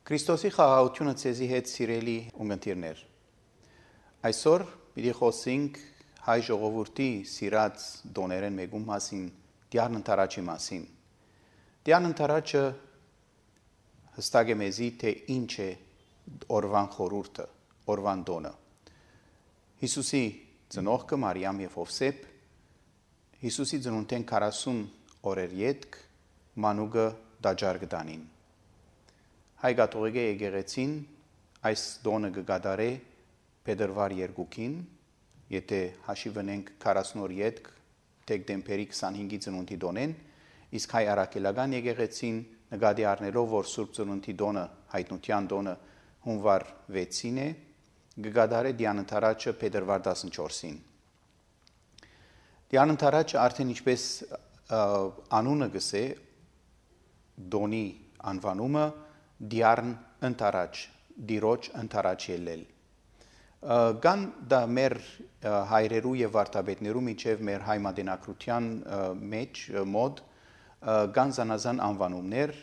Քրիստոսի խաղաղությունը ցեզի հետ սիրելի ունգընտիրներ։ Այսօր պիտի խոսենք հայ ժողովրդի սիրած դոներեն մեկում մասին, դիարն ընթարաչի մասին։ Դիարն ընթարաչը հստակ է մեզի, թե ինչ է օրվան խորհուրդը, օրվան դոնը։ Հիսուսի ծնողքը Մարիամ եւ Հովսեփ, Հիսուսի ծնունդեն 40 օրեր յետք մանուկը դաջար գտանին։ Հայ կաթողիկե եկեղեցին այս դոնը կգադարե փետրվար 2-ին, եթե հաշիվ ունենք 40 օր յետք դեկտեմբերի 25-ի ծնունդի դոնեն, իսկ հայ առաքելական եկեղեցին նկատի առնելով, որ Սուրբ Ծնունդի դոնը, հայտնության դոնը հունվար 6-ին է, կգադարե Դիան ընթարաչը փետրվար 14-ին։ Դիան ընթարաչը արդեն ինչպես անունը գսե, դոնի անվանումը դիարն ընթարաչ, դիրոջ ընթարաչ ելել։ Կան դա մեր հայրերու եւ վարդապետներու միջև մեր հայ մատենակրության մեջ մոդ կան զանազան անվանումներ,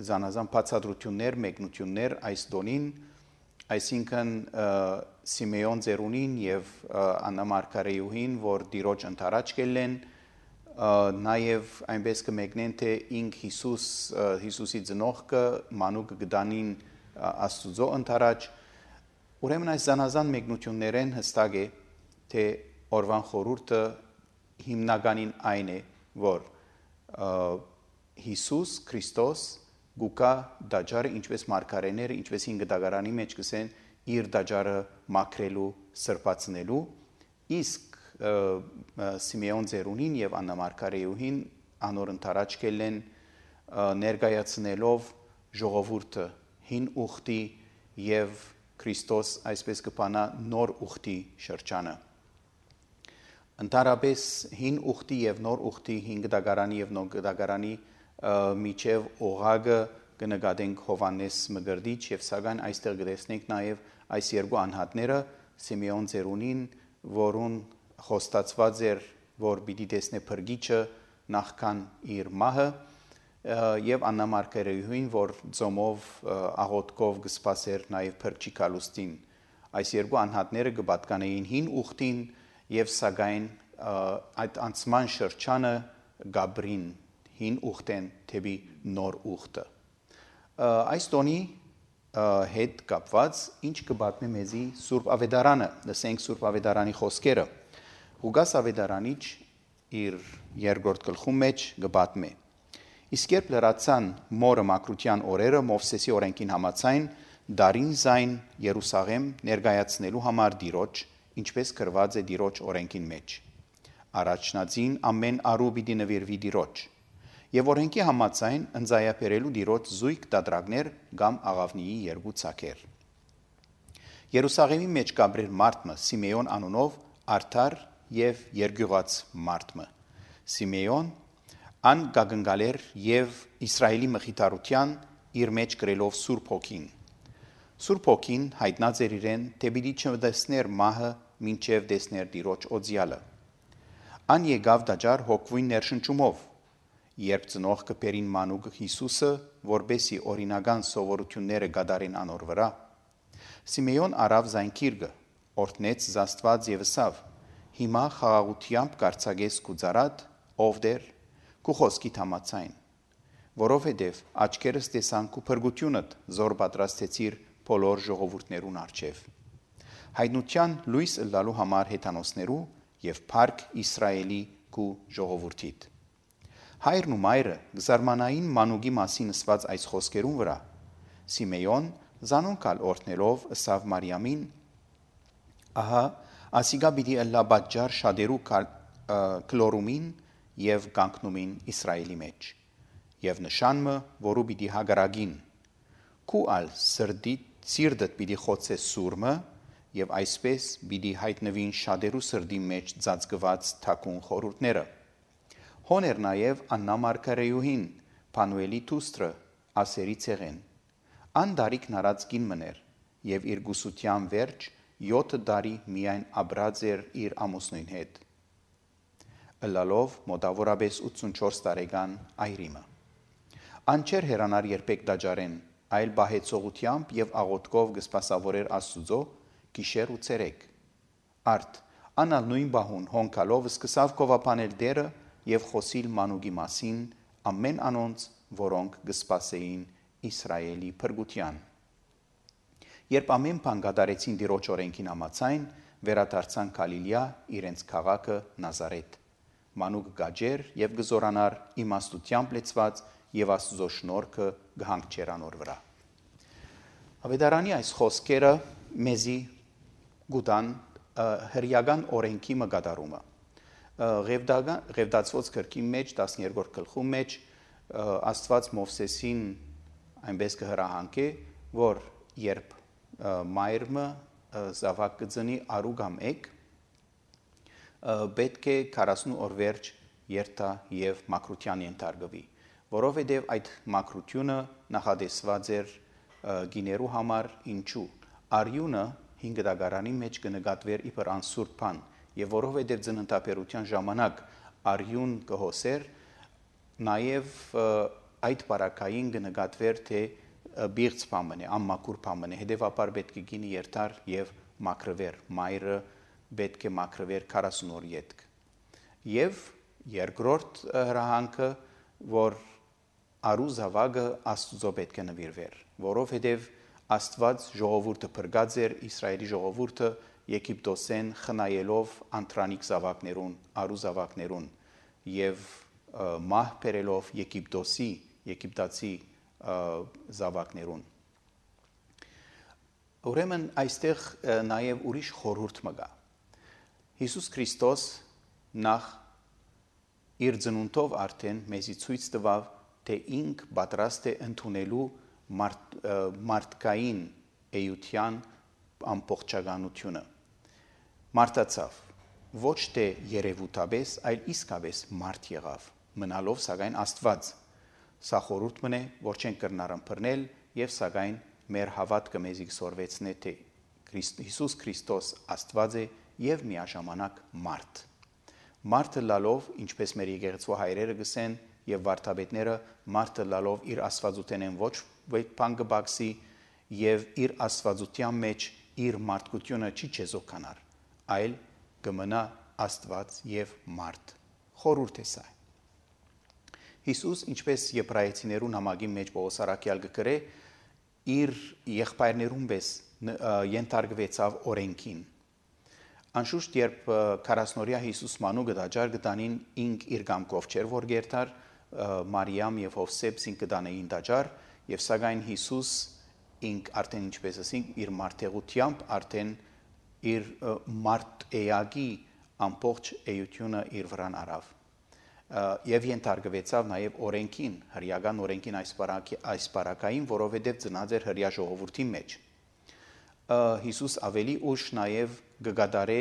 զանազան բացատրություններ, մեկնություններ այս դոնին, այսինքն Սիմեոն Ձերունին եւ Աննա Մարգարեյուհին, որ դիրոջ ընթարաչ կելեն, նաև այնպես կմեկնեն, թե ինք Հիսուսի ծնողքը մանուկը գտանին Աստուծո ընթարաչ։ Ուրեմն այս զանազան մեկնություններեն հստակ է, թե օրվան խորհուրդը հիմնականին այն է, որ Հիսուս Քրիստոս գուկա դաջարը, ինչպես մարգարեները, ինչպես հին գդագարանի մեջ կսեն, իր դաջարը մաքրելու, սրբացնելու, իսկ Սիմեոն Ձերունին եւ Աննա Մարգարեյուհին անոր ընթարաչ կելեն ներկայացնելով ժողովուրդը հին ուխտի եւ Քրիստոս այսպես կփանա նոր ուխտի շրջանը։ Ընդհանրապես հին ուխտի եւ նոր ուխտի հին գդագարանի եւ նոր գդագարանի միջև օղագը կնկատենք Հովանես Մգրդիչ եւ սակայն այստեղ կտեսնենք նաեւ այս երկու անհատները Սիմեոն Ձերունին, որուն խոստացված էր, որ պիտի տեսնե փրկիչը նախքան իր մահը, եւ Աննա Մարգարեյուհին, որ ծոմով աղոթքով կսպասեր նաեւ փրկչի գալուստին։ Այս երկու անհատները կպատկանեին հին ուխտին եւ սակայն այդ անցման շրջանը գաբրին հին ուխտեն թեպի նոր ուխտը։ Այս տոնի հետ կապված ինչ կպատմի մեզի Սուրբ Ավետարանը, լսենք Սուրբ Ավետարանի խոսքերը։ Ղուկաս Ավետարանիչ իր երկրորդ գլխում մեջ կպատմի. Իսկ երբ լրացան մորը մաքրության օրերը Մովսեսի օրենքին համաձայն դարին զայն Երուսաղեմ ներկայացնելու համար Տիրոջ, ինչպես գրված է Տիրոջ օրենքին մեջ։ Առաջնածին ամեն արու պիտի նվիրվի Տիրոջ, եւ օրենքի համաձայն ընծայաբերելու Տիրոջ զույգ տատրակներ կամ աղավնիի երկու ցակեր։ Երուսաղեմի մեջ կաբրեր մարդը Սիմեոն անունով արդար եւ երգյուղած մարդը։ Սիմեոն ան գագնգալեր եւ Իսրայելի մխիթարության իր մեջ գրելով Սուրբ Հոգին։ Սուրբ Հոգին հայտնած էր իրեն, թե պիտի չտեսներ մահը, մինչև տեսներ Տիրոջ օձյալը։ Ան եկավ դաջար հոգվույն ներշնչումով, երբ ծնողքը բերին մանուկ Հիսուսը, որբեսի օրինական սովորությունները գադարին անոր վրա։ Սիմեոն արավ զայնքիրգը, օրհնեց Աստված եւ ասավ. Հիմա խաղաղությամբ կարծագես կուծարատ, ով դեր, կու խոսքի համաձայն, որովհետև աչքերս տեսան կու փրկությունդ զոր պատրաստեցիր բոլոր ժողովուրդներուն առջև։ Հայտնության լույս ըլլալու համար հեթանոսներու եւ փառք Իսրայելի կու ժողովուրդիդ։ Հայրն ու մայրը գզարմանային մանուկի մասին ասված այս խոսքերուն վրա Սիմեոն զանոնքալ օրհնելով ասավ Մարիամին. Ահա ասիգա պիտի ըլլա պատճառ շատերու կլորումին եւ կանգնումին Իսրայելի մեջ եւ նշանը, որու պիտի հագարագին քու ալ սիրտդ պիտի խոցե սուրմը եւ այսպես պիտի հայտնվին շատերու սրդի մեջ ծածկված թակուն խորհուրդները։ Հոներ նաեւ Աննա Մարգարեյուհին Փանուելի դուստրը ասերի ցեղեն։ Ան դարիքն արած կին մներ եւ իր գուսության վերջ 7 տարի միայն ապրած էր իր ամուսնույն հետ։ Ըլլալով մոտավորապես 84 տարեկան այրիմը։ Անչեր հերանար երբեք դաջարեն, այլ բահեցողությամբ եւ աղոթքով կսպասավորեր Աստուծո գիշեր ու ցերեկ։ Արդ անալ նույն բահուն հոնքալով սկսավ կովապանել դերը եւ խոսիլ մանուկի մասին ամեն անոնց, որոնք կսպասեին Իսրայելի փրկության։ Երբ ամեն բան կատարեցին Տիրոջ օրենքին համաձայն, վերադարձան Գալիլեա իրենց քաղաքը Նազարեթ։ Մանուկ գաջեր եւ գզորանար իմաստությամբ լեցված եւ Աստուծո շնորհքը գհանգչեր անոր վրա։ Ավետարանի այս խոսքերը մեզի գուտան հրյական օրենքի մգադարումը։ Ղևտացված գրքի մեջ 12-րդ գլխում մեջ Աստված Մովսեսին այնպես կհրահանգե, որ երբ մայրը զավակ կծնի արու կամ էգ, պետք է 40 օր վերջ երթա եւ մաքրության ենթարկվի, որովհետեւ այդ մաքրությունը նախադեсված էր գիներու համար, ինչու արյունը 5 դագարանի մեջ կնկատվեր իբր անսուրբ բան, եւ որովհետեւ ծննդաբերության ժամանակ արյուն կհոսեր, նաեւ այդ բարակային կնկատվեր թե բիղծ բան է, անմաքուր բան է, հետեւաբար պետք է գինի երթար եւ մաքրվեր, մայրը պետք է մաքրվեր 40 օր յետք։ Եվ երկրորդ հրահանգը, որ արու զավակը Աստուծո պետք է նվիրվեր, որովհետև Աստված ժողովուրդը փրկած էր Իսրայելի ժողովուրդը Եգիպտոսեն խնայելով անտրանիկ զավակներուն, արու զավակներուն եւ մահ բերելով Եգիպտացի զավակներուն։ Ուրեմն այստեղ նաև ուրիշ խորհուրդ մը կա։ Հիսուս Քրիստոս նախ իր ծնունդով արդեն մեզի ցույց տվավ, թե ինք պատրաստ է ընդունելու մարդկային էության ամբողջականությունը։ Մարտացավ, ոչ թե երևութաբես, այլ իսկապես մարդ եղավ, մնալով սակայն Աստված։ Սա խորհուրդ մն է, որ չենք կրնար ըմբռնել եւ սակայն մեր հավատքը մեզի կսորվեցնե, թե Հիսուս Քրիստոս Աստված է եւ միաժամանակ մարդ։ Մարդը լալով, ինչպես մեր եկեղեցու հայրերը գսեն եւ վարդապետները, մարդը լալով իր աստվածութենեն ոչ բան կբացի եւ իր աստվածության մեջ իր մարդկությունը չի չեզոքանար, այլ կմնա Աստված եւ մարդ։ Խորհուրդ է սա։ Հիսուս, ինչպես Եբրայեցիներուն համագի մեջ Պողոս առաքյալ կգրե, իր եղբայրներուն պես ենթարկվեցավ օրենքին։ Անշուշտ, երբ 40-օրյա Հիսուս մանուկը դաջար կտանին, ինք իր կամքով չէր, որ գերտար, Մարիամ եւ Հովսեփ ինք կտանեին դաջար, եւ սակայն Հիսուս ինք արդեն ինչպես ասենք, իր մարդեղությամբ արդեն իր մարդ էակի ամբողջ էությունը իր վրան արավ։ Եվ ենթարկվեցավ նաև օրենքին, հրյական օրենքին այս բարակային, որովհետև ծնած էր հրյա ժողովրդի մեջ։ Հիսուս ավելի ուշ նաև կգադարե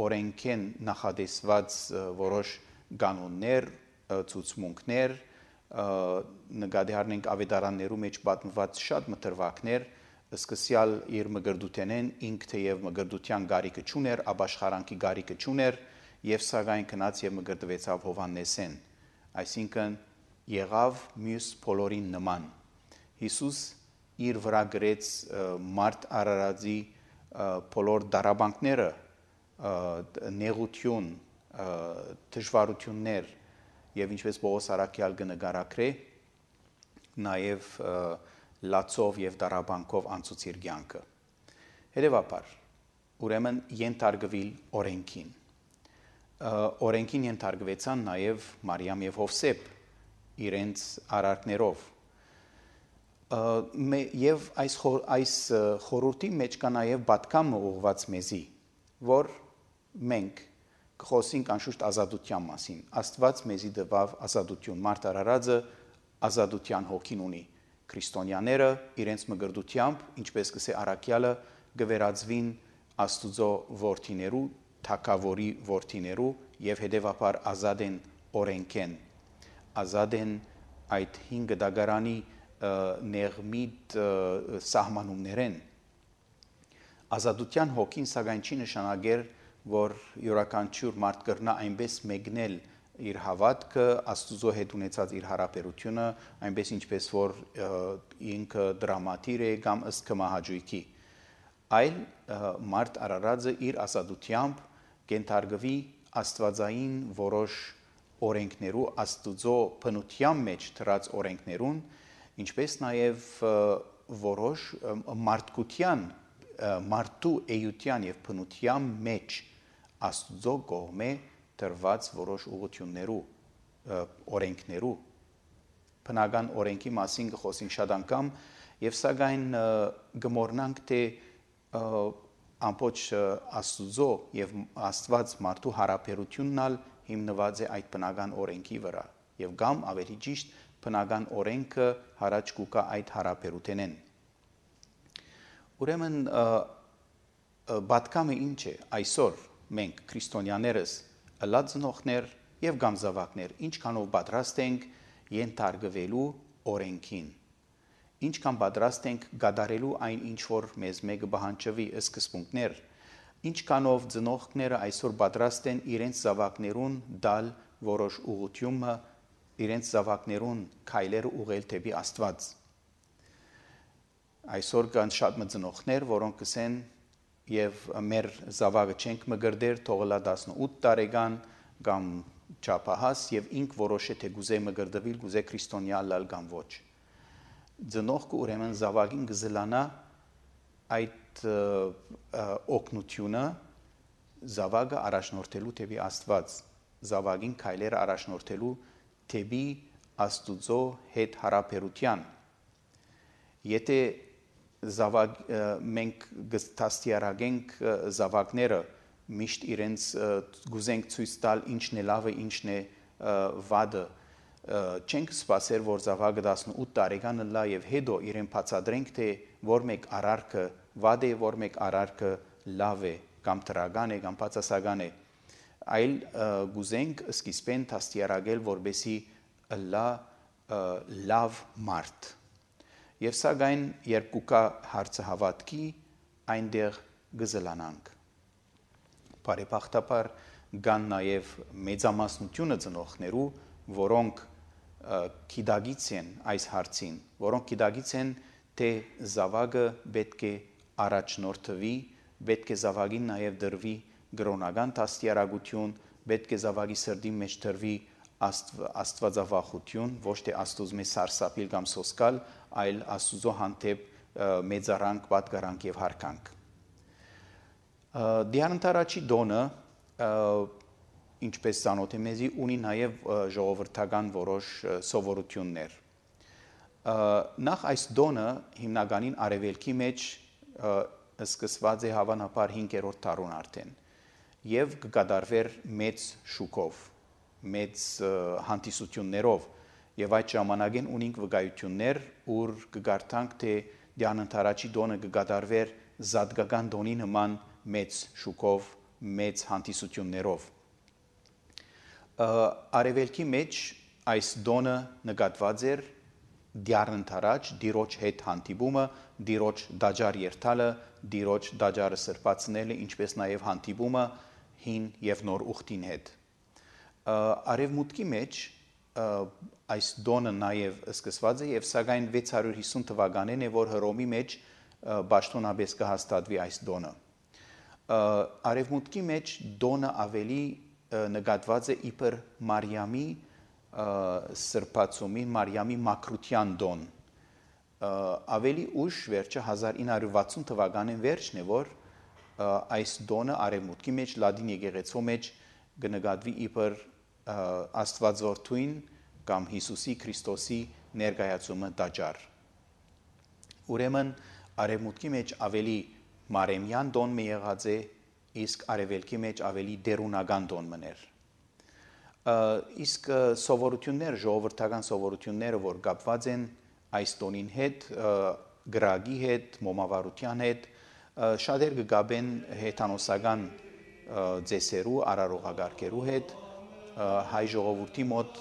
օրենքեն նախադեсված որոշ կանոններ, ցուցմունքներ, նկատի առնենք ավետարաններու մեջ պատմված շատ մտրվակներ, սկսյալ իր մգրդութենեն ինք թեև մգրդության գարիկը չուներ, ապաշխարանքի գարիկը չուներ, եւ սակայն քնած եւ մգրդվեցավ Հովհաննեսեն, այսինքն եղավ մյուս բոլորին նման։ Հիսուս իր վրա գրեց մարդ Արարածի բոլոր դարաբանքները, նեղություն, դժվարություններ եւ ինչպես Պողոս առաքյալ կնկարագրե, նաեւ լացով եւ դարաբանքով անցուց իր կյանքը։ Հետևաբար, ուրեմն ենթարկվել օրենքին։ Օրենքին ենթարկվեցան նաև Մարիամ եւ Հովսեփ իրենց արարքներով։ Եվ այս խորհրդի մեջ կա նաև պատգամը ուղղված մեզի, որ մենք կխոսենք անշուշտ ազատության մասին։ Աստված մեզի տվավ ազատություն, մարդ արարածը ազատության հոգին ունի։ Քրիստոնյաները իրենց մգրդությամբ, ինչպես կսե առաքյալը, կվերածվին Աստուծո որդիներու, թագավորի որդիներու եւ հետեւաբար ազատ են օրենքեն, ազատ են այդ 5 դագարանի նեղմիտ սահմանումներեն։ Ազատության հոգին սակայն չի նշանակեր, որ յուրաքանչյուր մարդ կրնա այնպես մեկնել իր հավատքը, Աստուծո հետ ունեցած իր հարաբերությունը, այնպես ինչպես որ ինքը դրամատիր է կամ ըստ կմահաճույքի, այլ մարդ Արարածը իր ասադությամբ կենթարկվի աստվածային որոշ օրենքներու, Աստուծո բնության մեջ դրած օրենքներուն, ինչպես նաև որոշ մարդկության, մարդու էության եւ բնության մեջ Աստուծո կողմէ դրված որոշ ուղղություններու, օրենքներու, բնական օրենքի մասին կխոսենք շատ անգամ եւ սակայն գմորնանք թե ամբողջ Աստուծո եւ Աստված մարդու հարաբերությունն հիմնված է այդ բնական օրենքի վրա եւ կամ ավելի ճիշտ բնական օրենքը հարաճ կուկա այդ հարաբերութենեն։ Ուրեմն պատկամը ինչ է այսօր մենք քրիստոնյաներս ըլածնողներ եւ կամ զավակներ ինչքանով պատրաստ ենք ենթարկվելու օրենքին, ինչքան պատրաստ ենք գադարելու այն ինչ որ մեզ մեկը բանջվի սկզբունքներ, ինչքանով ծնողները այսօր պատրաստ են իրենց զավակներուն դալ որոշ ուղղությունը, իրենց զավակներուն քայլերը ուղղել դեպի Աստված։ Այսօր կան շատ ծնողներ, որոնք կսեն եւ մեր զավակը չենք մգրդեր, թողլա 18 տարեկան կամ չափահաս եւ ինք որոշե թե գուզե մգրդվել, գուզե քրիստոնյա լալ կամ ոչ։ Ծնողքը ուրեմն զավակին գզլանա այդ օգնությունը զավակը առաջնորդելու դեպի Աստված, զավակին քայլերը առաջնորդելու դեպի Աստուծո հետ հարաբերության։ Եթե մենք գստաստիարագենք զավակները միշտ իրենց գուզենք ցույց տալ ինչն է լավը, ինչն է վատը, չենք սպասեր որ զավակը 18 տարեկանը լա եւ հետո իրեն բացատրենք թե որ մեկ արարքը վատ է, որ մեկ արարքը լավ է կամ տրական է կամ բացասական է, այլ գուզենք սկիզբեն տաստիարագել որբեսի լա լավ մարդ։ Եվ սակայն երբ կուկա հարցը հավատքի, այնտեղ գզլանանք։ Բարեբախտաբար կան նաև մեծամասնությունը ծնողներու, որոնք գիտակից են այս հարցին, որոնք գիտակից են, թե զավակը պետք է առաջնորդվի, պետք է զավակին նաև դրվի գրոնական տաստիարակություն, պետք է զավակի սրտի մեջ դրվի աստվածավախություն, ոչ թե Աստուծո սարսափիլ կամ սոսկալ, այլ Աստուծո հանդեպ մեծարանք, պատկարանք եւ հարկանք։ Դիանտարաչի դոնը, ինչպես ծանոթ է մեզի, ունի նաև ժողովրդական որոշ սովորություններ։ Նախ այս դոնը հիմնականին արևելքի մեջ սկսված է հավանաբար 5-րդ դարուն արդեն եւ կկատարվեր մեծ շուկով, մեծ հանդիսություններով եւ այդ ժամանակին ունենք վկայություններ, ուր կգարտանք թե դիանտարաչի դոնը կկատարվեր զատկական դոնի նման մեծ շուկով, մեծ հանդիսություններով։ Արևելքի մեջ այս դոնը նկատված էր դիանտարաչ դիրոջ հետ հանդիպումը, դիրոջ դաջար երթալը, դիրոջ դաջարը սրբացնելը, ինչպես նաև հանդիպումը հին եւ նոր ուխտին հետ։ Արևմուտքի մեջ այս դոնը նաև սկսված է եւ սակայն 650 թվականին է որ Հռոմի մեջ պաշտոնապես կհաստատվի այս դոնը։ Արևմուտքի մեջ դոնը ավելի նկատված է իբր Մարիամի սրբացումին, Մարիամի մաքրության դոն։ Ավելի ուշ վերջը 1960 թվականին վերջն է որ այս դոնը արևմուտքի մեջ լադին եկեղեցու մեջ կնկատվի իբր Աստվածորդույն կամ Հիսուսի Քրիստոսի ներկայացումը տաճար։ Ուրեմն արևմուտքի մեջ ավելի մարեմյան դոն մի եղած է, իսկ արևելքի մեջ ավելի դերունական դոն մներ։ Իսկ սովորություններ, ժողովրդական սովորությունները, որ կապված են այս տոնին հետ, գրագի հետ, մոմավարության հետ, շատեր կգաբեն հեթանոսական ձեսերու, արարողագարկերու հետ, հայ ժողովրդի մոտ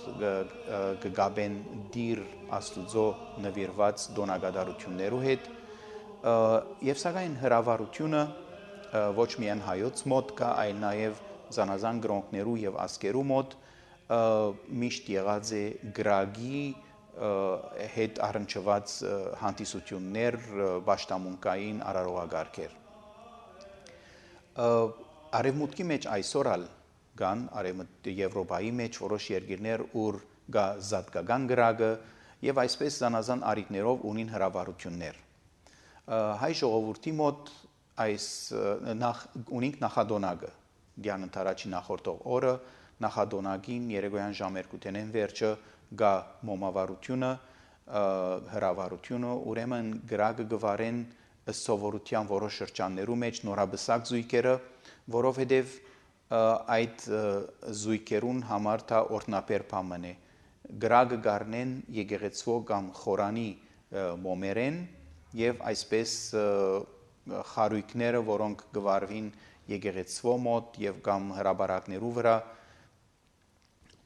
կգաբեն դիր Աստուծո նվիրված դոնագադարություններու հետ, եւ սակայն հրավառությունը ոչ միայն հայոց մոտ կա, այլ նաեւ զանազան գրոնքներու եւ ասկերու մոտ միշտ եղած է գրագի հետ առնչված հանդիսություններ, պաշտամունքային արարողագարքեր։ Արևմուտքի մեջ այսօր կան Եվրոպայի մեջ որոշ երկիրներ, ուր կա զատկական գրագը եւ այսպես զանազան արիտներով ունին հրավառություններ։ Հայ ժողովրդի մոտ այս ունենք նախադոնագը, դիան ընթարաչի նախորդող օրը նախադոնագին երեկոյան ժամ 2-ին վերջը գա մոմավառությունը, հրավառությունը, ուրեմն գրագը գվարեն սովորության որոշ շրջաններու մեջ նորաբսակ զույգերը, որովհետև այդ զույգերուն համար դա օրտնապեր բան է։ Գրագը գարնեն եկեղեցվո կամ խորանի մոմերեն եւ այսպես խարույկները, որոնք գվարվին եկեղեցվո մոտ եւ կամ հրաբարակներու վրա,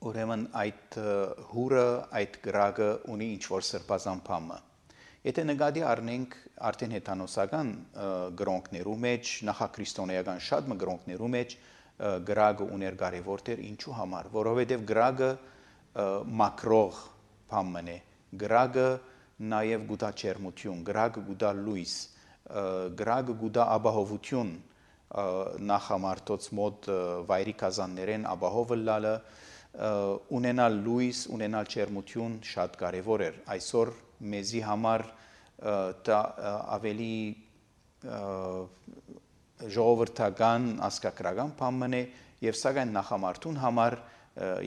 ուրեմն այդ հուրը, այդ գրագը ունի ինչ-որ սրբազան բամը։ Եթե նկատի առնենք արդեն հեթանոսական գրոնքներու մեջ, նախաքրիստոնեական շատ գրոնքներու մեջ գրագը ուներ կարևոր դեր ինչու համար, որովհետև գրագը մակրող բան է, գրագը նաև գուտա ջերմություն, գրագը գուտա լույս, գրագը գուտա ապահովություն նախամարտոց մոտ վայրի կազաններեն ապահովը լալը, ունենալ լույս, ունենալ ջերմություն շատ կարևոր էր։ Այսօր մեզի համար դա ավելի ժողովրդական ասկակրական բան է եւ սակայն նախամարտուն համար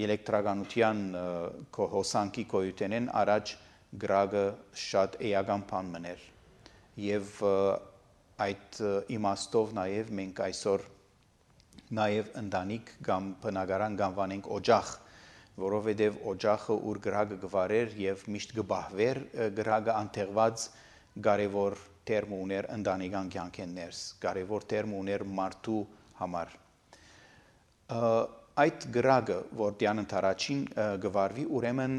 էլեկտրականության հոսանքի կոյութենեն առաջ գրագը շատ էական բան էր եւ այդ իմաստով նաեւ մենք այսօր նաեւ ընտանիք կամ բնակարան կանվանենք օջախ, որովհետև օջախը ուր գրագը գվարեր եւ միշտ գբահվեր գրագը անթեղված կարևոր տերմ ուներ ընտանեկան կյանքեն ներս, կարևոր տերմ ուներ մարդու համար։ Այդ գրագը, որ դիան ընթարաչին գվարվի, ուրեմն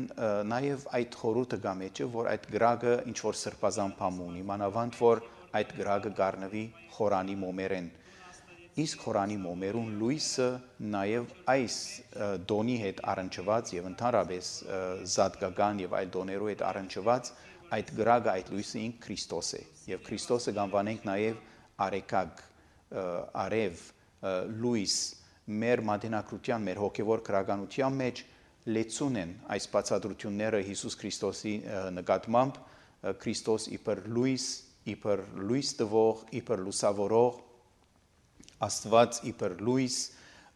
նաեւ այդ խորհուրդը գա մեջը, որ այդ գրագը ինչ որ սրբազան բան ունի, մանավանդ որ այդ գրագը գառնվի խորանի մոմերեն։ Իսկ խորանի մոմերուն լույսը նաև այս դոնի հետ առնչված եւ ընդհանրապես զատկական եւ այլ դոներու հետ առնչված այդ գրագը, այդ լույսը ինք Քրիստոս է եւ Քրիստոսը կանվանենք նաև արեկակ, արև, լույս մեր մատենակրության, մեր հոգևոր քրագանության մեջ լեցուն են այս բացատրությունները Հիսուս Քրիստոսի նկատմամբ, Քրիստոս իբր լույս տվող, իբր լուսավորող, Աստված իբր լույս,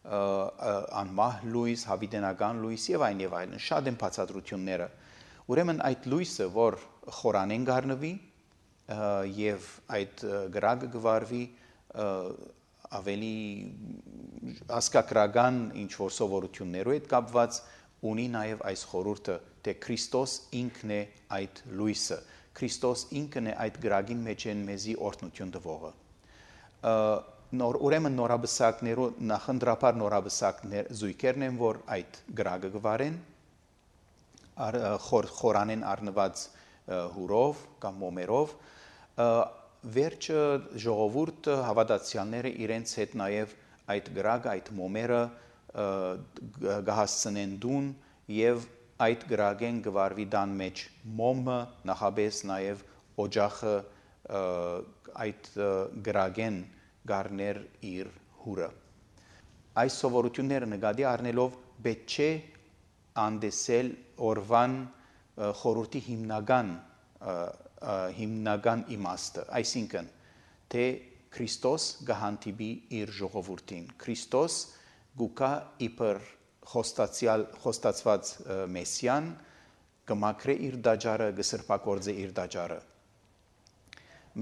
անմահ լույս, հավիտենական լույս եւ այլն, շատ են բացատրությունները։ Ուրեմն այդ լույսը, որ խորանեն գառնվի եւ այդ գրագը գվարվի, ավելի ասկակրական ինչ որ սովորություններով հետ կապված ունի նաև այս խորհուրդը, թե Քրիստոս ինքն է այդ լույսը, Քրիստոս ինքն է այդ գրագին մեջ են մեզի օրհնություն տվողը։ Ուրեմն նորաբսակներու նախընտրապար նորաբսակներ զույգերն են, որ այդ գրագը գվարեն, խորանեն առնված հուրով կամ մոմերով, վերջը ժողովուրդը հավատացյալները իրենց հետ նաև այդ գրագը, այդ մոմերը գահասցնեն դուն եւ այդ գրագեն գվարվի դան մեջ մոմը, նախաբես նաև օջախը այդ գրագեն գառներ իր հուրը։ Այս սովորությունները նկատի առնելով պետք չէ անդեսել օրվան խորհրդի հիմնական իմաստը, այսինքն թե Քրիստոս գահանտիբի իր ժողովրդին, Քրիստոս գուկա իբր խոստացված մեսիան կմաքրե իր դաջարը, կսրբակորձե իր դաջարը։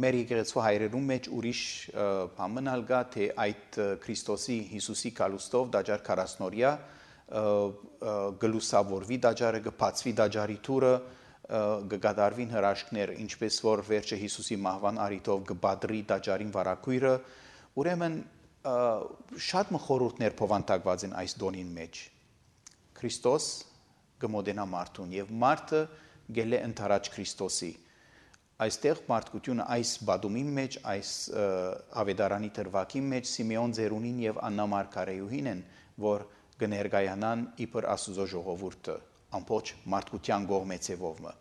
Մեր եկեղեցու հայրերում մեջ ուրիշ բան կա, թե այդ Քրիստոսի Հիսուսի կալուստով դաջար 40-օրյա գլուսավորվի դաջարը, կբացվի դաջարի թուրը, կգադարվին հրաշքներ, ինչպես որ վերջը Հիսուսի մահվան առիթով կբադրի դաջարին վարակույրը, ուրեմն շատ խորհուրդներ փոխանցված են այս դոնին մեջ։ Քրիստոս կմոտենա մարդուն եւ մարդը գել է ընթരാճ Քրիստոսի։ Այստեղ մարդկությունը այս բադումի մեջ, այս ավետարանի դրվագի մեջ Սիմեոն Ձերունին եւ Աննա Մարգարեյուհին են, որ կներկայանան իբր Աստուծո ժողովուրդը ամբողջ մարդկության կողմեցևովը։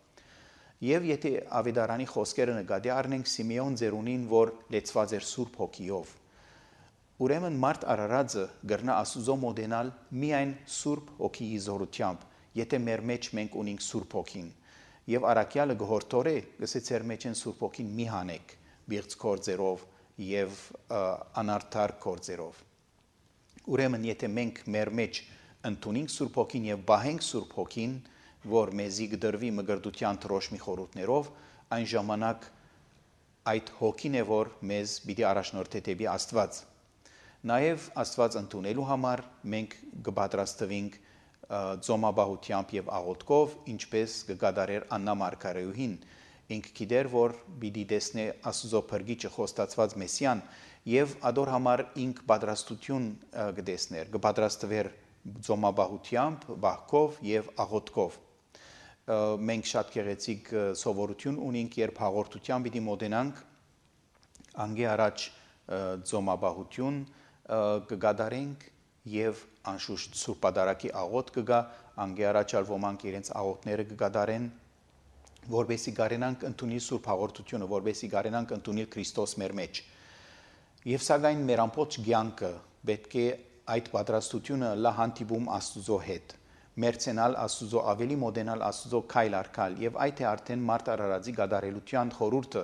Եվ եթե Ավետարանի խոսքերը նկատի առնենք Սիմեոն ծերունին, որ լեցված էր Սուրբ Հոգիով, ուրեմն մարդ արարածը գրնա Աստուծո մոտենալ միայն Սուրբ Հոգիի զորությամբ, եթե մեր մեջ մենք ունենք Սուրբ Հոգին։ Եվ առաքյալը գորտորե, գսե ծեր մեջ են Սուրբ Հոգին մի հանեք, բիղծ կորձերով եւ անարդար կորձերով։ Ուրեմն եթե մենք մեր մեջ ընդունենք Սուրբ Հոգին եւ բահենք Սուրբ Հոգին, որ մեզի գդրվի մգրդության թրոշմի խորհուրդներով, այն ժամանակ այդ հոգին է, որ մեզ պիտի առաջնորդի դեպի Աստված։ Նաև Աստված ընդունելու համար մենք կպատրաստվենք ծոմաբահությամբ եւ աղոթքով, ինչպես կգադարեր Աննա Մարգարեուհին, ինքը գիտեր, որ պիտի տեսնե Աստծո փրկիչը խոստացված Մեսիան եւ ադոր համար ինք պատրաստություն կտեսներ, կպատրաստվեր ծոմաբահությամբ, բահքով եւ աղոթքով։ Մենք շատ գեղեցիկ սովորություն ունենք, երբ հաղորդության պիտի մոտենանք անգե առաջ ծոմաբահություն կգադարենք եւ անշուշտ Սուրբ Պատարագի աղոթ կգա, անգե առաջալ ոմանք իրենց աղոթները կգադարեն, որբեսի գարենանք ընդունիլ Սուրբ հաղորդությունը, որբեսի գարենանք ընդունիլ Քրիստոս մեր մեջ։ Եվ սակայն մեր ամբողջ կյանքը պետք է այդ պատրաստությունը լա հանդիպում Աստուծո հետ, մերցենալ Աստուծո, ավելի մոտենալ Աստուծո քայլ առ քայլ, եւ այդ է արդեն մարդ արարածի գադարելության խորհուրդը։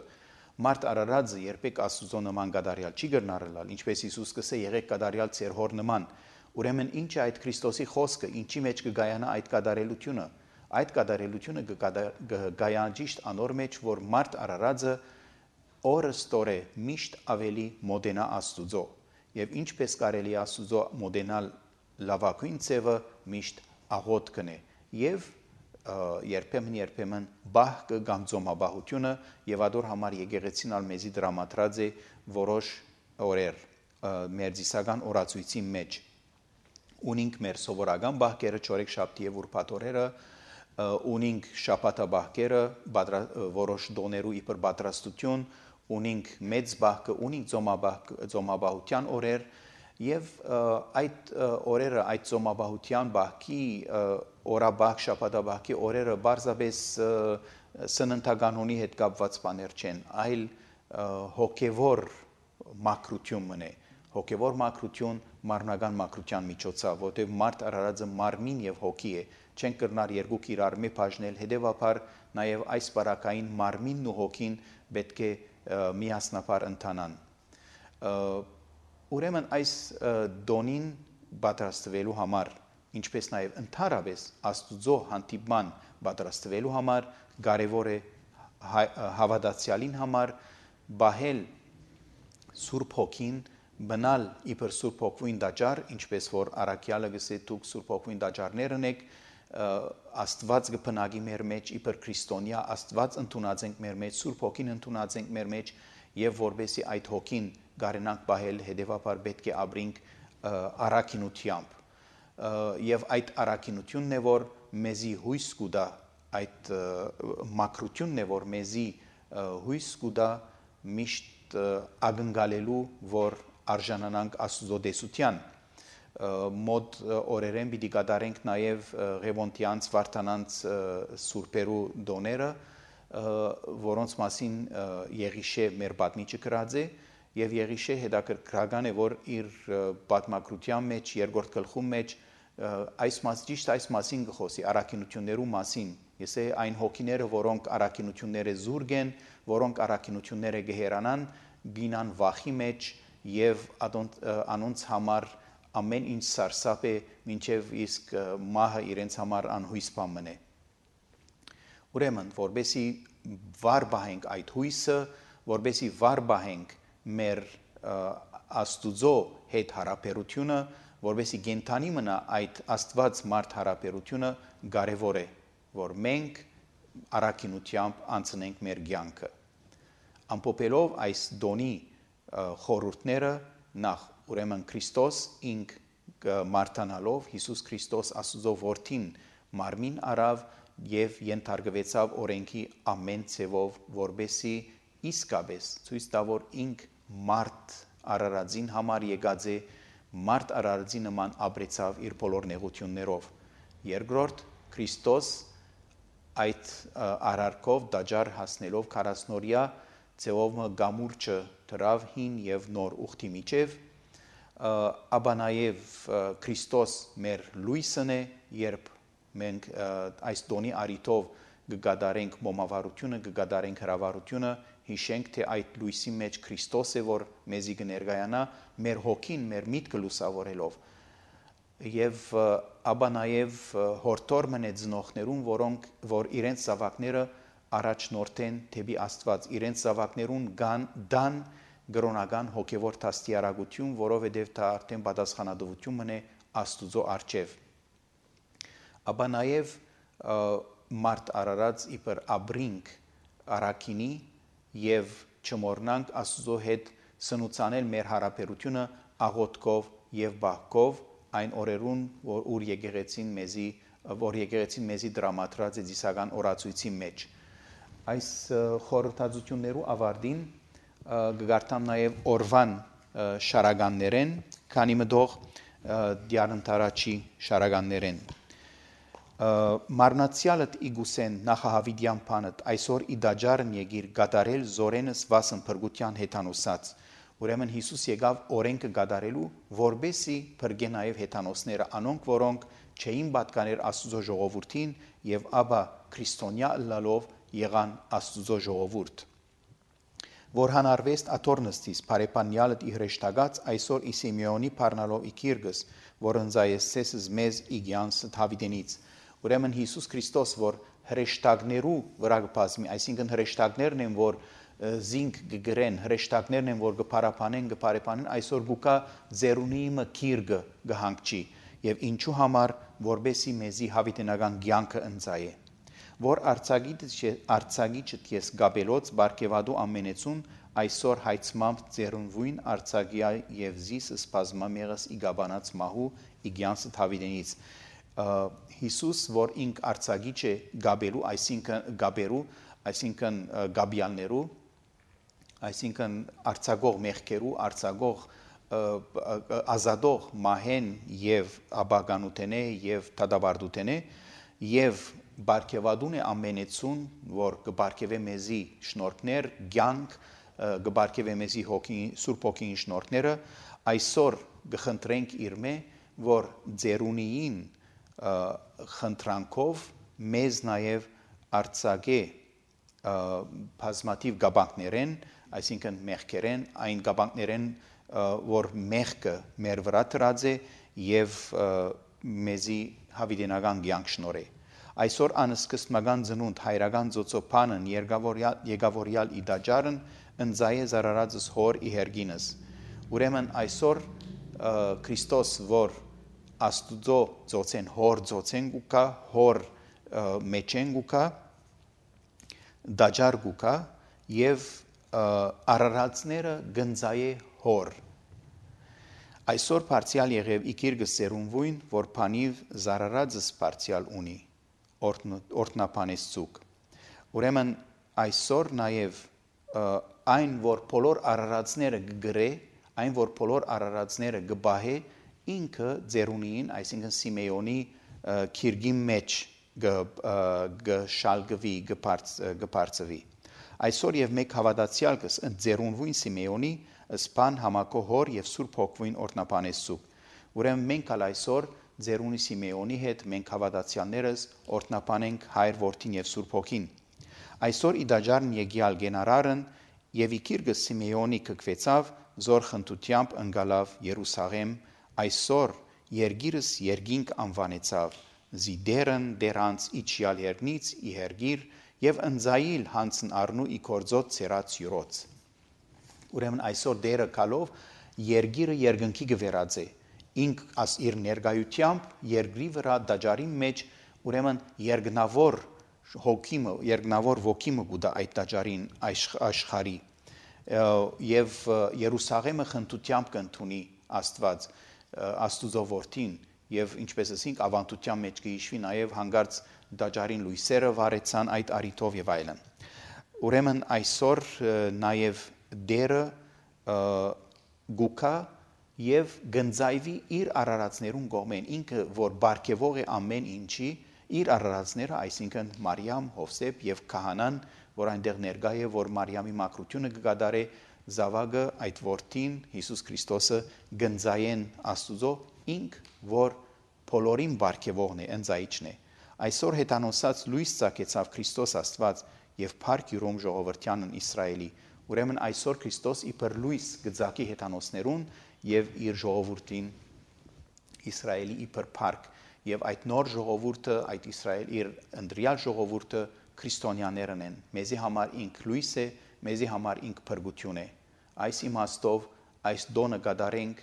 Մարդ արարածը երբեք Աստուծո նման գադարյալ չի գտնարել, ինչպես Հիսուս կսե եղեք գադարյալ ձեր հոր նման։ Ուրեմն ինչ է այդ Քրիստոսի խոսքը, ինչի մեջ կգայանա այդ գադարելությունը։ Այդ գադարելությունը կգայան ճիշտ անոր մեջ, որ մարդ արարածը օրստորե միշտ ավելի մոտենա Աստուծո, եւ ինչպես կարելի է Աստուծո մոտենալ լավագույն ձևը միշտ աղոթքն է եւ երբեմն բահքը կամ ծոմաբահությունը եւ ադոր համար եկեղեցին ալ մեզի դրամատրած է որոշ օրեր մեր զիսական օրացույցի մեջ ունենք մեր սովորական բահքերը չորեքշաբթի եւ ուրբաթ օրերը ունենք շաբաթաբահքերը որոշ դոներու իբր պատրաստություն ունենք մեծ բահքը ունենք ծոմաբահության օրեր եւ այդ օրերը այդ ծոմաբահության բահքի օրաբահք շաբաթաբահքի օրերը բարձրապես սննդականոնի հետ կապված բաներ չեն, այլ հոգևոր մաքրություն մնե, հոգևոր մաքրություն մարմնական մաքրության միջոցով, որտեղ մարդ արարածը մարմին եւ հոգի է, չեն կրնար երկուք իրար մի բաժնել, հետեւաբար նաեւ այս բարակային մարմինն ու հոգին պետք է միասնապար ընթանան։ Ուրեմն այս դոնին պատրաստվելու համար, ինչպես նաև ընդհանրապես Աստուծո հանդիպման պատրաստվելու համար կարևոր է հավատացյալին համար բահել Սուրբ Հոգին, բնալ իբր Սուրբ Հոգին դաջար, ինչպես որ առաքյալը գսե դուք Սուրբ Հոգին դաջարներն եք, Աստված կփնագի մեր մեջ իբր քրիստոնյա, Աստված ընդունած ենք մեր մեջ, Սուրբ Հոգին ընդունած ենք մեր մեջ, եւ որբեսի այդ հոգին գարենանք բահել, հետեւաբար պետք է ապրենք առաքինությամբ եւ այդ առաքինությունն է որ մեզի հույս կուտա այդ մաքրությունն է որ մեզի հույս կուտա միշտ ակնկալելու որ արժանանանք Աստուծո դեսության մոտ օրերեն պիտի կատարենք նաեւ Ղևոնդյանց Վարդանանց սուրբերու դոները որոնց մասին Եղիշե մեր պատմիչը գրած է եւ Եղիշե հետաքրքրական է որ իր պատմագրության մեջ երկրորդ գլխում մեջ այս մասին գխոսի առաքինություններու մասին ես այն հոգիները որոնք առաքինությունները զուրգ են որոնք առաքինությունները գեհերանան գինան վախի մեջ եւ անոնց համար ամեն ինչ սարսափ է մինչեւ իսկ մահը իրենց համար անհույս բան մնե ուրեմն որբեսի վար բահենք այդ հույսը որբեսի վար բահենք մեր Աստուծո հետ հարաբերությունը որբեսի գենթանի մնա այդ Աստված մարդ հարաբերությունը կարևոր է որ մենք առաքինությամբ անցնենք մեր կյանքը ամփոփելով այս դոնի խորհուրդները նախ ուրեմն Քրիստոս ինք մարտանալով Հիսուս Քրիստոս Աստուծո որդին մարմին արավ եւ ենթարկվեցավ օրենքի ամեն ցևով որբեսի իսկապես ցույց տա որ ինք մարդ արարածին համար եկած է մարդ արարածի նման ապրեցավ իր բոլոր նեղություններով։ Երկրորդ Քրիստոս այդ արարքով դաջար հասնելով 40-օրյա ձևով գամուրջը դրավ հին եւ նոր ուխտի միջև, ապա նաեւ Քրիստոս մեր լույսն է, երբ մենք այս տոնի արիտով կգադարենք մոմավարությունը, կգադարենք հրավառությունը, հիշենք, թե այդ լույսի մեջ Քրիստոս է, որ մեզի կներկայանա մեր հոգին, մեր միտքը լուսավորելով։ Եվ ապա նաև հորտոր մնե ծնողներուն, որ իրենց զավակները առաջնորդեն դեպի Աստված, իրենց զավակներուն դան գրոնական հոգևոր դաստիարակություն, որովհետև դա արդեն պատասխանատվություն մնե Աստուծո առջև։ Ապա նաև մարդ արարած իբր ապրինք առաքինի եւ չմոռնանք Աստուծո հետ սնուցանել մեր հարաբերությունը աղոթքով եւ բախկով այն օրերուն, որ եկեղեցին մեզի դրամատրած է ծիսական օրացույցի մեջ։ Այս խորհրդածություններու ավարտին կգարտամ նաև օրվան շարականներեն, քանի մտող դիարընթարաչի շարականներեն։ Մարնացյալըտ իգուսեն նախահավիդյան պանըտ այսօր իդաջարն եկիր գադարել զորենս վասն փրկության հետանոսած։ Ուրեմն Հիսուս եկավ օրենքը գադարելու, որբեսի փրկե նաև հետանոսները, անոնք, որոնք չէին պատկաներ Աստուծո ժողովրդին եւ ապա քրիստոնյա ըլլալով եղան Աստուծո ժողովուրդ։ Որ հանարվեստ աթորնստիս բարեպանյալըտ իհրեշտագած այսօր Իսիմեոնի պարնալով իքիրգս, որ ընձայեսեսս մեզ իգյանս թավիդենից։ Ուրեմն Հիսուս Քրիստոս, որ հրեշտակներու վրա կբազմի, այսինքն հրեշտակներն են, որ զինք կգրեն, հրեշտակներն են, որ կփարապանեն, այսօր գուկա ձերունիմը քիրգը գհանգչի եւ ինչու համար, որբեսի մեզի հավիտենական կյանքը ընձայե։ Որ արցագիչը ես գաբելոց բարգեվադու ամենեցուն այսօր հայցմամբ ձերունվույն արցագիա եւ զիս սպազմամեղս իգաբանած մահու իգյանսը թավիդենից։ Հիսուս, որ ինք արցագիչ է գաբելու, այսինքն գաբյալներու, այսինքն արցագող մեղքերու, արցագող ազատող մահեն եւ աբագանութենե եւ թադաբարդութենե եւ բարգեվադուն է ամենեցուն, որ կբարգեվե մեզի շնորհքներ, ցանկ, կբարգեվե մեզի Սուրբ Հոգին շնորհքները, այսօր կխնդրենք իրմե, որ ձերունիին խնդրանքով մեզ նաև արցակե բազմաթիվ գաբանքներեն, այսինքն մեղքերեն, այն գաբանքներեն, որ մեղքը մեր վրա դրած է եւ մեզի հավիտենական կյանք շնորհե։ Այսօր անսկսմական ծնունդ հայրական ծոցոփանն եկավորյալ իդաջարն ընձայե զարարածս հոր իհերգինս։ Ուրեմն այսօր Քրիստոս, որ Աստուծո ծոցեն հոր ծոցեն գուկա, հոր մեջեն գուկա, դաջար գուկա եւ արարածները գնձայե հոր։ Այսօր բարձյալ եղև իքիրգս սերունվույն, որ փանիվ զարարածս բարձյալ ունի, օրտնապանես ծուկ։ Ուրեմն այսօր նաև այն, որ բոլոր արարածները կգրե, այն, որ բոլոր արարածները կբահե, ինքը ձերունին, այսինքն Սիմեոնի քիրգի մեջ գշալգվի, գբարձվի։ Այսօր եւ մեկ հավատացյալ կս ձերունվույն Սիմեոնի սպան համակո հոր եւ Սուրբ Հոգվին օրտնապանեսուկ։ Ուրեմն մենք ալ այսօր ձերունի Սիմեոնի հետ մենք հավատացյալներս օրտնապանենք Հայր Որդին եւ Սուրբ Հոգին։ Այսօր իդաջարն եկյալ գենարարն եւ իքիրգը Սիմեոնի կկվեցավ զոր խնդությամբ ընկալավ Երուսաղեմ, այսօր երգիրս երգինք անվանեցավ, զիդերն դերանց իջյալ երգնից իհերգիր եւ ընձայիլ հանցն առնու իքորձոտ ծերած յուրոց։ Ուրեմն այսօր դերը կալով երգիրը երգնքի գվերած է, ինք աս իր ներգայությամբ երգրի վրա դաջարի մեջ, ուրեմն երգնավոր հոգիմը, երգնավոր ոգիմը գուդա այդ դաջարին աշխարի եւ Երուսաղեմը խնդությամբ կընդունի Աստված Աստուծո որդին եւ ինչպես ասենք ավանդության մեջ կհիշվի նաեւ հանգարց դաջարին լույսերը վարեցան այդ արիտով եւ այլն։ Ուրեմն այսօր նաեւ դերը գուկա եւ գնձայվի իր արարածներուն կողմեն ինքը որ բարգեվող է ամեն ինչի իր արարածները այսինքն Մարիամ, Հովսեփ եւ Քահանան որ այնտեղ ներկա է որ Մարիամի մակրությունը կգադարե զավակը այդ որդին Հիսուս Քրիստոսը գնձայեն Աստուծո ինք որ բոլորին բարգեվողն է ընձայիչն է այսօր հետանոսած լույս ցակեցավ Քրիստոս Աստված եւ փառք յուրոմ ժողովրդյանն Իսրայելի ուրեմն այսօր Քրիստոս իբր լույս գծակի հետանոսներուն եւ իր ժողովրդին Իսրայելի իբր փառք եւ այդ նոր ժողովուրդը այդ Իսրայել իր ընդրյալ ժողովուրդը քրիստոնյաներն են մեզի համար ինք լույս է մեզի համար ինք փրկություն է այս իմաստով այս դոնը գադարենք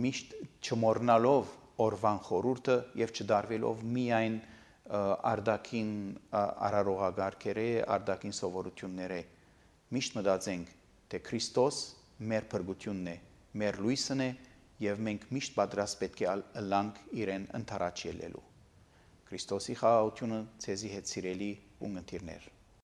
միշտ չմոռնալով օրվան խորուրդը եւ չդարվելով միայն արդակին արարողագարքերը արդակին սովորությունները միշտ մտածենք թե Քրիստոս մեր փրկությունն է մեր լույսն է եւ մենք միշտ պատրաստ պետք է ըլլանք իրեն ընթരാճ ելելու Քրիստոսի խաղաղությունը ցեզի հետ սիրելի ունգընտիրներ